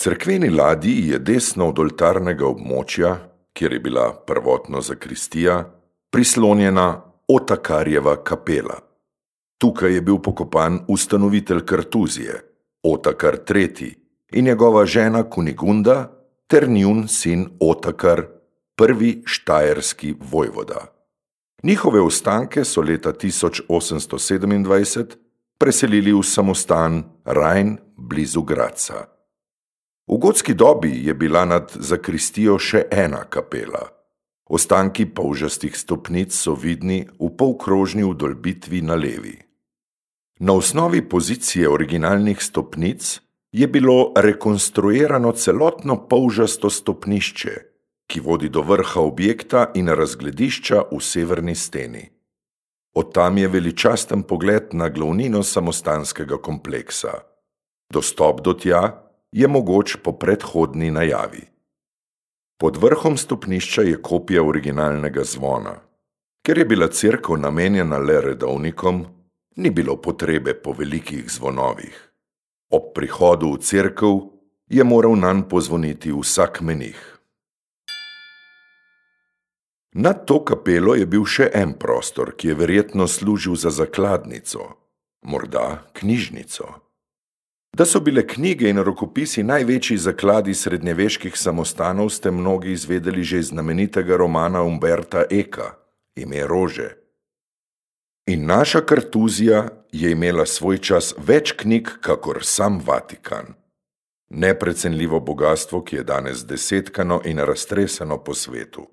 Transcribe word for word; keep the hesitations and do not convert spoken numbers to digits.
cerkveni ladji je desno od oltarnega območja, kjer je bila prvotno zakristija, prislonjena Otakarjeva kapela. Tukaj je bil pokopan ustanovitelj Kartuzije, Otakar tretji, in njegova žena Kunigunda ter njun sin Otakar, prvi štajerski vojvoda. Njihove ostanke so leta tisoč osemsto sedemindvajset preselili v samostan Rajn blizu Gradca. V gotski dobi je bila nad zakristijo še ena kapela. Ostanki polžastih stopnic so vidni v polkrožni vdolbitvi na levi. Na osnovi pozicije originalnih stopnic je bilo rekonstruirano celotno polžasto stopnišče, ki vodi do vrha objekta in razgledišča v severni steni. Od tam je veličasten pogled na glavnino samostanskega kompleksa. Dostop do tja je mogoč po predhodni najavi. Pod vrhom stopnišča je kopija originalnega zvona. Ker je bila cerkev namenjena le redovnikom, ni bilo potrebe po velikih zvonovih. Ob prihodu v cerkev je moral nanj pozvoniti vsak menih. Nad to kapelo je bil še en prostor, ki je verjetno služil za zakladnico, morda knjižnico. Da so bile knjige in rokopisi največji zakladi srednjeveških samostanov, ste mnogi izvedeli že iz znamenitega romana Umberta Eka, Ime rože. In naša Kartuzija je imela svoj čas več knjig, kakor sam Vatikan. Neprecenljivo bogastvo, ki je danes desetkano in raztreseno po svetu.